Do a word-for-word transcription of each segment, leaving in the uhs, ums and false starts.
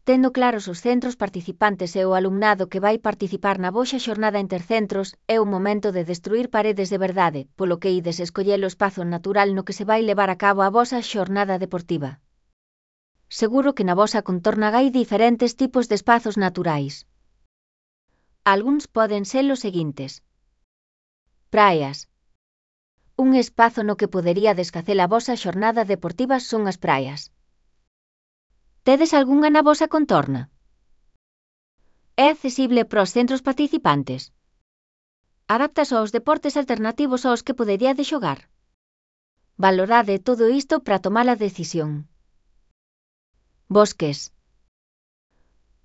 Tendo claros os centros participantes e o alumnado que vai participar na vosa xornada intercentros, é o momento de destruir paredes de verdade, polo que ides escoller o espazo natural no que se vai levar a cabo a vosa xornada deportiva. Seguro que na vosa contorna hai diferentes tipos de espazos naturais. Algúns poden ser os seguintes. Praias. Un espazo no que poderíades facer a vosa xornada deportiva son as praias. Tedes algunha na vosa contorna? É accesible para os centros participantes? Adaptas aos deportes alternativos aos que poderíades xogar? Valorade todo isto para tomar a decisión. Bosques.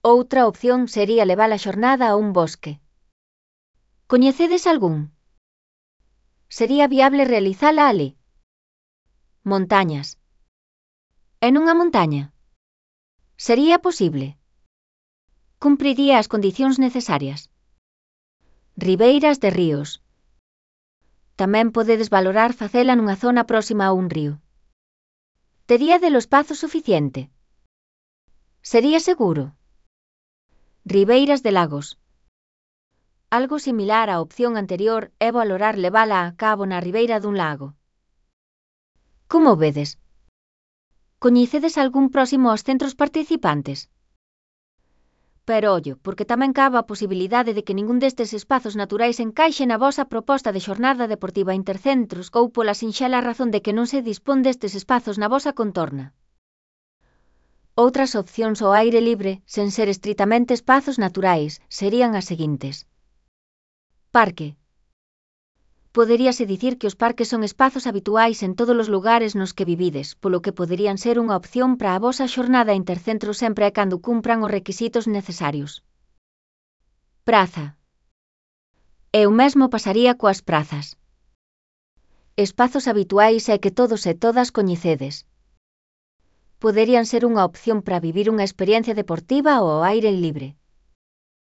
Outra opción sería levar a xornada a un bosque. Coñecedes algún? Sería viable realizala ali? Montañas. E nunha montaña? Sería posible? Cumpriría as condicións necesarias? Ribeiras de ríos. Tamén podedes valorar facela nunha zona próxima a un río. Teríade o espazo suficiente? Sería seguro? Ribeiras de lagos. Algo similar á opción anterior é valorar levala a cabo na ribeira dun lago. Como vedes? Coñecedes algún próximo aos centros participantes? Pero ollo, porque tamén cabe a posibilidade de que ningún destes espazos naturais encaixe na vosa proposta de xornada deportiva intercentros ou pola sinxela razón de que non se dispón destes espazos na vosa contorna. Outras opcións ao aire libre, sen ser estritamente espazos naturais, serían as seguintes. Parque. Poderíase dicir que os parques son espazos habituais en todos os lugares nos que vivides, polo que poderían ser unha opción para a vosa xornada intercentro sempre e cando cumpran os requisitos necesarios. Praza. E o mesmo pasaría coas prazas. Espazos habituais e que todos e todas coñecedes. Poderían ser unha opción para vivir unha experiencia deportiva ou ao aire libre.